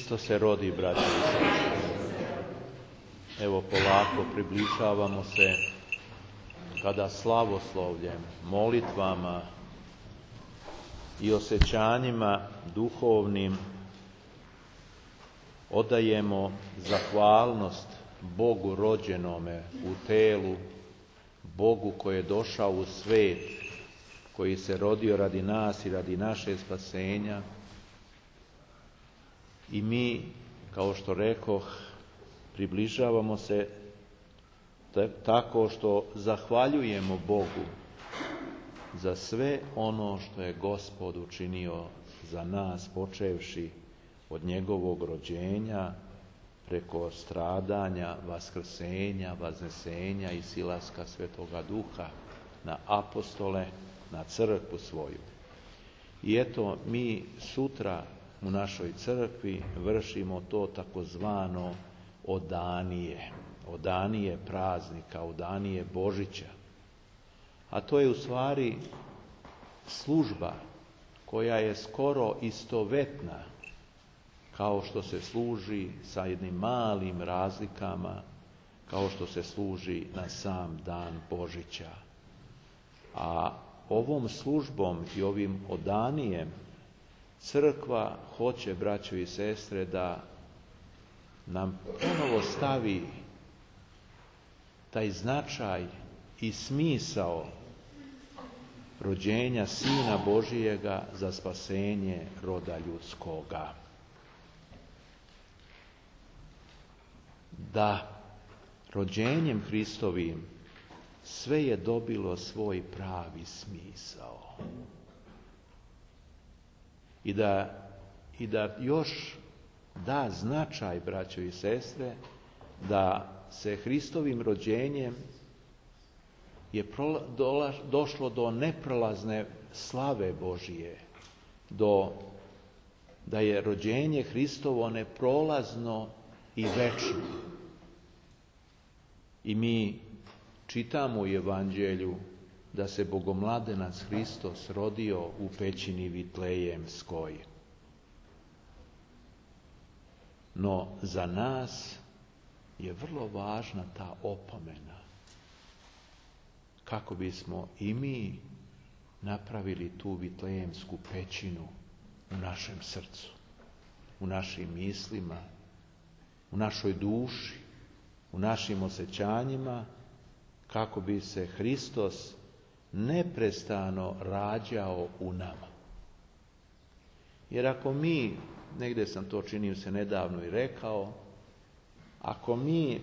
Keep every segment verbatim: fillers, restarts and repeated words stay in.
Hristo se rodi, braći i sestre. Evo, polako približavamo se kada slavoslovljem, molitvama i osjećanjima duhovnim odajemo zahvalnost Bogu rođenome u telu, Bogu koji je došao u svet, koji se rodio radi nas i radi naše spasenja. I mi, kao što rekoh, približavamo se tako što zahvaljujemo Bogu za sve ono što je Gospod učinio za nas, počevši od njegovog rođenja, preko stradanja, vaskrsenja, vaznesenja i silaska Svetoga Duha na apostole, na crkvu svoju. I eto, mi sutra u našoj crkvi vršimo to takozvano odanije, odanije praznika, odanije Božića. A to je u stvari služba koja je skoro istovetna kao što se služi sa jednim malim razlikama, kao što se služi na sam dan Božića. A ovom službom i ovim odanijem crkva hoće, braćo i sestre, da nam ponovo stavi taj značaj i smisao rođenja Sina Božijega za spasenje roda ljudskoga. Da rođenjem Hristovim sve je dobilo svoj pravi smisao. I da, i da još da značaj, braćo i sestre, da se Hristovim rođenjem je prola, dola, došlo do neprolazne slave Božije, do, da je rođenje Hristovo neprolazno i večno. I mi čitamo u Evanđelju da se Bogomladenac Hristos rodio u pećini Vitlejemskoj. No za nas je vrlo važna ta opomena kako bismo i mi napravili tu Vitlejemsku pećinu u našem srcu, u našim mislima, u našoj duši, u našim osjećanjima, kako bi se Hristos neprestano rađao u nama. Jer ako mi, negdje sam to činio se nedavno i rekao, ako mi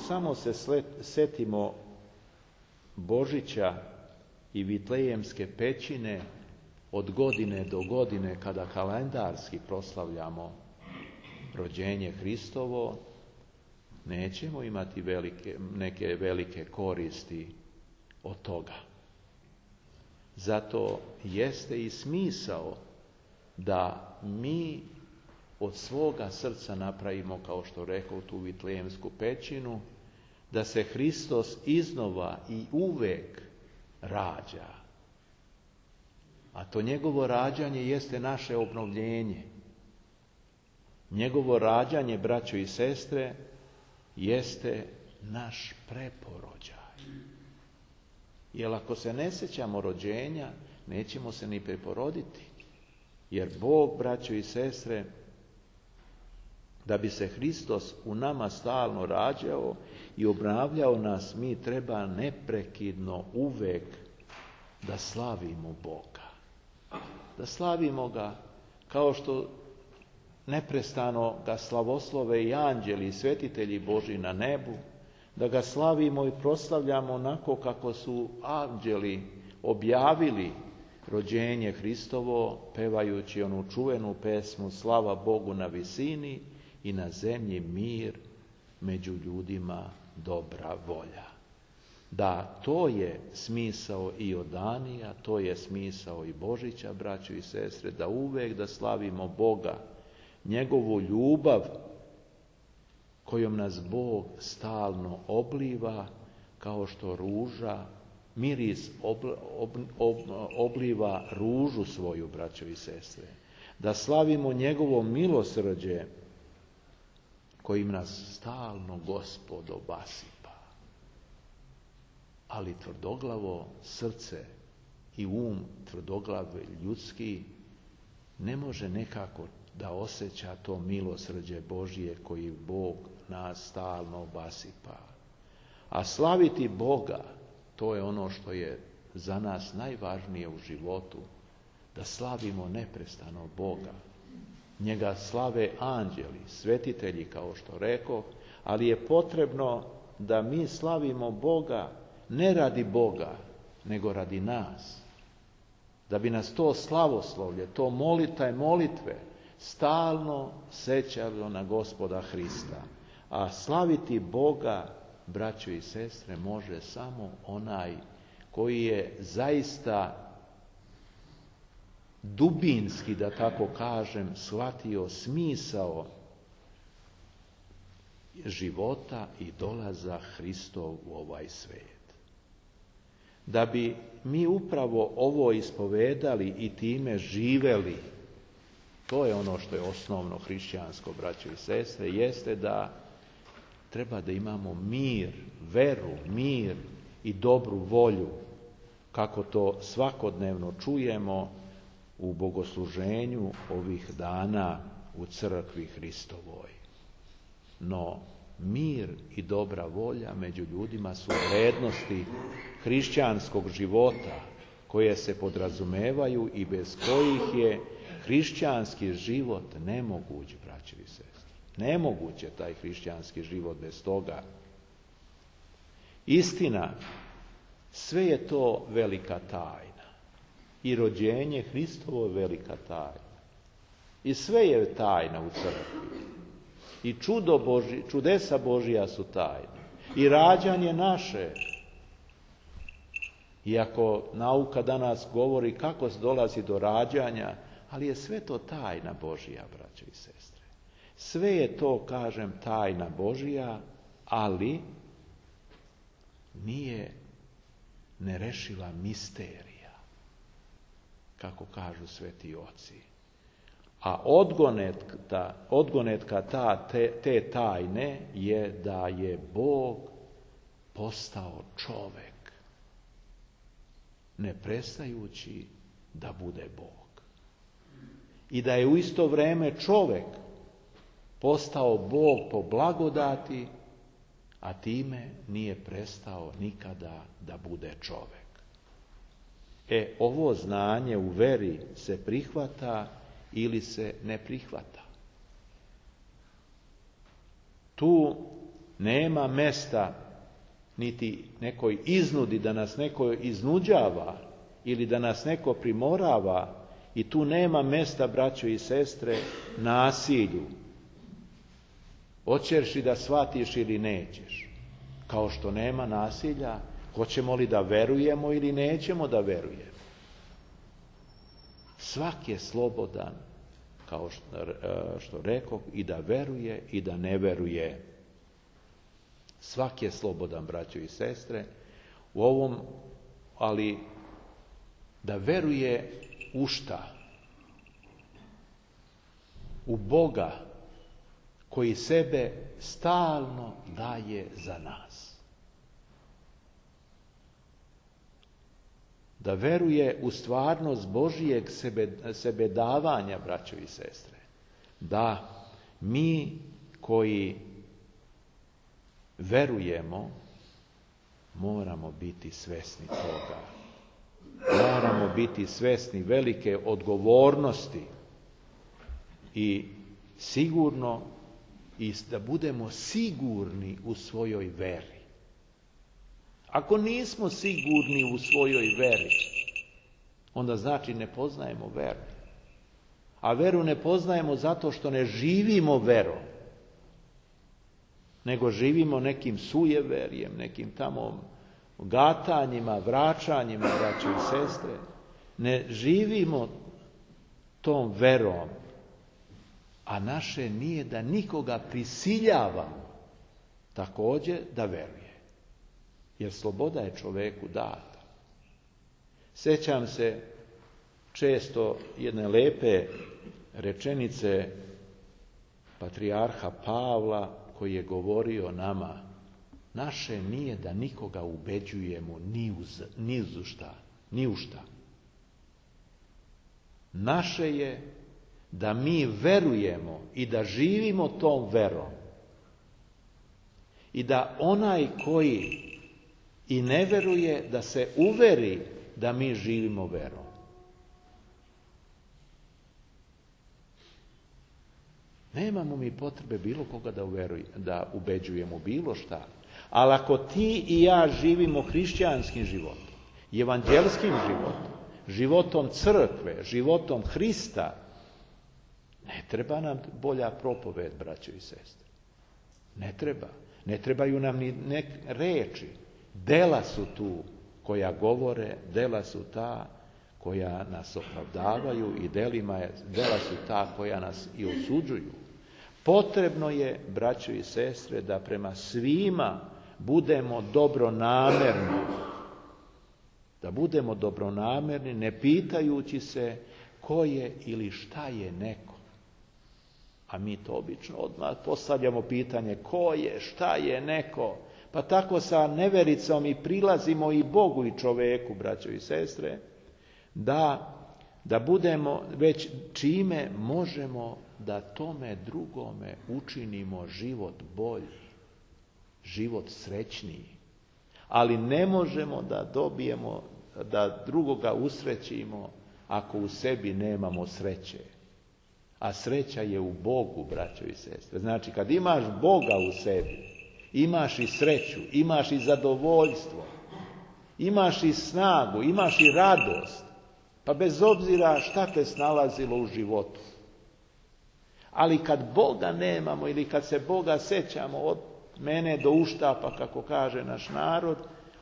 samo se setimo Božića i Vitlejemske pećine od godine do godine kada kalendarski proslavljamo rođenje Hristovo, nećemo imati velike, neke velike koristi od toga. Zato jeste i smisao da mi od svoga srca napravimo, kao što rekao, tu Vitlejemsku pećinu, da se Hristos iznova i uvek rađa. A to njegovo rađanje jeste naše obnovljenje. Njegovo rađanje, braćo i sestre, jeste naš preporođaj. Jer ako se ne sjećamo rođenja, nećemo se ni preporoditi. Jer Bog, braćo i sestre, da bi se Hristos u nama stalno rađao i obnavljao nas, mi treba neprekidno uvek da slavimo Boga. Da slavimo ga kao što neprestano ga slavoslove i anđeli i svetitelji Božji na nebu, da ga slavimo i proslavljamo onako kako su anđeli objavili rođenje Hristovo, pevajući onu čuvenu pesmu Slava Bogu na visini i na zemlji mir, među ljudima dobra volja. Da, to je smisao i odanija, to je smisao i Božića, braćo i sestre, da uvek da slavimo Boga, njegovu ljubav kojom nas Bog stalno obliva, kao što ruža, miris ob, ob, ob, obliva ružu svoju, braćo i sestre. Da slavimo njegovo milosrđe kojim nas stalno Gospod obasipa. Ali tvrdoglavo srce i um tvrdoglav ljudski ne može nekako da osjeća to milosrđe Božije koji Bog nas stalno obasipa. A slaviti Boga, to je ono što je za nas najvažnije u životu, da slavimo neprestano Boga. Njega slave anđeli, svetitelji, kao što rekoh, ali je potrebno da mi slavimo Boga ne radi Boga, nego radi nas. Da bi nas to slavoslovlje, to molita i molitve stalno sećalo na Gospoda Hrista. A slaviti Boga, braćo i sestre, može samo onaj koji je zaista dubinski, da tako kažem, shvatio smisao života i dolaza Hristov u ovaj svijet. Da bi mi upravo ovo ispovedali i time živeli, to je ono što je osnovno hrišćansko, braćo i sestre, jeste da treba da imamo mir, veru, mir i dobru volju, kako to svakodnevno čujemo u bogosluženju ovih dana u crkvi Hristovoj. No, mir i dobra volja među ljudima su vrednosti hrišćanskog života koje se podrazumevaju i bez kojih je hrišćanski život nemoguć, braćo i sestre. Nemoguć je taj hrišćanski život bez toga. Istina, sve je to velika tajna. I rođenje Hristovo je velika tajna. I sve je tajna u crkvi. I čudo Boži, čudesa Božija su tajne. I rađanje naše. Iako nauka danas govori kako se dolazi do rađanja, ali je sve to tajna Božija, braćo i sestre. Sve je to, kažem, tajna Božija, ali nije nerešiva misterija, kako kažu sveti oci. A odgonetka, odgonetka ta, te, te tajne je da je Bog postao čovek, ne prestajući da bude Bog. I da je u isto vrijeme čovek postao Bog po blagodati, a time nije prestao nikada da bude čovek. E, ovo znanje u veri se prihvata ili se ne prihvata. Tu nema mesta niti nekoj iznudi, da nas neko iznuđava ili da nas neko primorava, i tu nema mesta, braćo i sestre, nasilju. Hoćeš li da shvatiš ili nećeš? Kao što nema nasilja, hoćemo li da verujemo ili nećemo da verujemo. Svak je slobodan, kao što, što rekoh, i da veruje i da ne veruje. Svak je slobodan, braćo i sestre, u ovom, ali da veruje u šta? U Boga koji sebe stalno daje za nas. Da veruje u stvarnost Božijeg sebe, sebe davanja, braćo i sestre. Da mi koji verujemo moramo biti svesni toga. Moramo biti svesni velike odgovornosti i sigurno i da budemo sigurni u svojoj veri. Ako nismo sigurni u svojoj veri, onda znači ne poznajemo veru. A veru ne poznajemo zato što ne živimo verom, nego živimo nekim sujeverjem, nekim tamo gatanjima, vraćanjima, braćo i sestre. Ne živimo tom verom, a naše nije da nikoga prisiljavamo također da veruje. Jer sloboda je čoveku data. Sjećam se često jedne lepe rečenice patrijarha Pavla koji je govorio nama, naše nije da nikoga ubeđujemo ni uz, ni uz šta, ni u šta. Naše je da mi verujemo i da živimo tom verom. I da onaj koji i ne veruje, da se uveri da mi živimo verom. Nemamo mi potrebe bilo koga da, uveruj, da ubeđujemo bilo šta. Ali ako ti i ja živimo hrišćanskim životom, evanđelskim životom, životom crkve, životom Hrista, ne treba nam bolja propoved, braćo i sestre. Ne treba. Ne trebaju nam ni nek reči. Dela su tu koja govore, dela su ta koja nas opravdavaju i delima je, dela su ta koja nas i osuđuju. Potrebno je, braćo i sestre, da prema svima budemo dobronamerni. Da budemo dobronamerni, ne pitajući se ko je ili šta je neko. A mi to obično odmah postavljamo pitanje ko je, šta je neko. Pa tako sa nevericom i prilazimo i Bogu i čoveku, braćo i sestre, da, da budemo već čime možemo da tome drugome učinimo život bolji, život srećniji. Ali ne možemo da dobijemo, da drugoga usrećimo ako u sebi nemamo sreće. A sreća je u Bogu, braćo i sestre. Znači, kad imaš Boga u sebi, imaš i sreću, imaš i zadovoljstvo, imaš i snagu, imaš i radost. Pa bez obzira šta te snalazilo u životu. Ali kad Boga nemamo ili kad se Boga sećamo od mene do uštapa, kako kaže naš narod,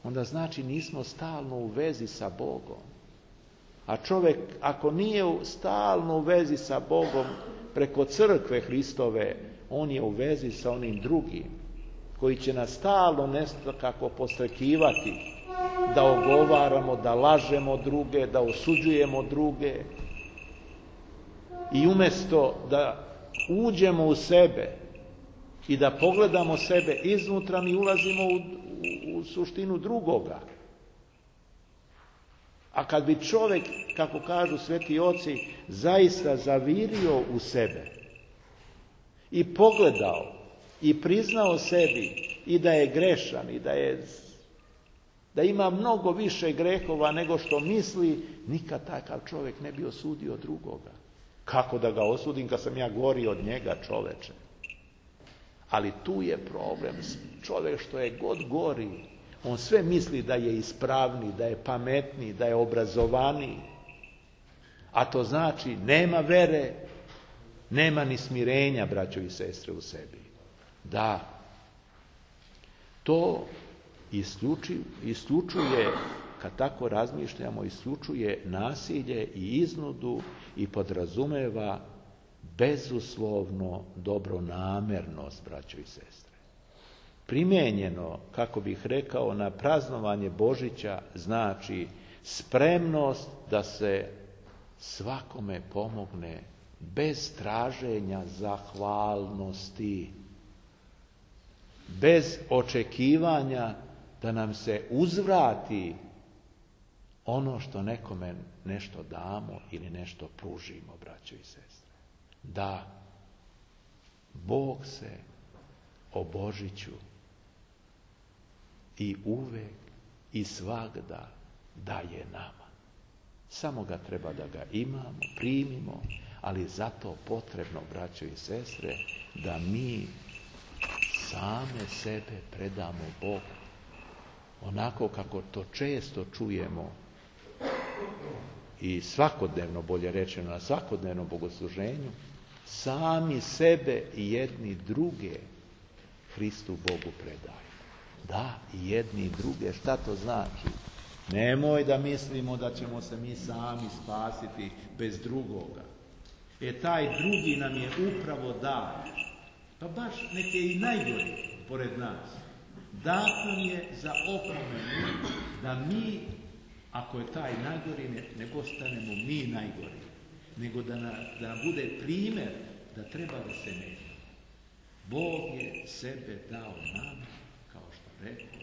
onda znači nismo stalno u vezi sa Bogom. A čovjek, ako nije stalno u vezi sa Bogom preko crkve Hristove, on je u vezi sa onim drugim, koji će nas stalno nešto kako postrekivati, da ogovaramo, da lažemo druge, da osuđujemo druge. I umjesto da uđemo u sebe i da pogledamo sebe iznutra, mi ulazimo u, u, u suštinu drugoga. A kad bi čovjek, kako kažu sveti oci, zaista zavirio u sebe i pogledao i priznao sebi i da je grešan i da je da ima mnogo više grehova nego što misli, nikad takav čovjek ne bi osudio drugoga. Kako da ga osudim kad sam ja gori od njega, čoveče? Ali tu je problem. Čovjek što je god gori, on sve misli da je ispravniji, da je pametniji, da je obrazovaniji. A to znači nema vere, nema ni smirenja, braćo i sestre, u sebi. Da, to isključuje, isključuje, kad tako razmišljamo, isključuje nasilje i iznudu i podrazumeva bezuslovno dobronamernost, braćo i sestre. Primijenjeno, kako bih rekao, na praznovanje Božića znači spremnost da se svakome pomogne bez traženja zahvalnosti, bez očekivanja da nam se uzvrati ono što nekome nešto damo ili nešto pružimo, braćo i sestre. Da, Bog se o Božiću i uvek i svagda daje nama. Samo ga treba da ga imamo, primimo, ali zato potrebno, braćo i sestre, da mi same sebe predamo Bogu. Onako kako to često čujemo i svakodnevno, bolje rečeno, na svakodnevnom bogosluženju, sami sebe i jedni druge Hristu Bogu predaju. Da, i jedni i druge. Šta to znači? Nemoj da mislimo da ćemo se mi sami spasiti bez drugoga. E taj drugi nam je upravo dar. Pa baš neke i najgori pored nas. Dat nam je za opomenu da mi, ako je taj najgori, ne, ne postanemo mi najgori, nego da, na, da nam bude primjer da treba da se menja. Bog je sebe dao nama, kao što rekao,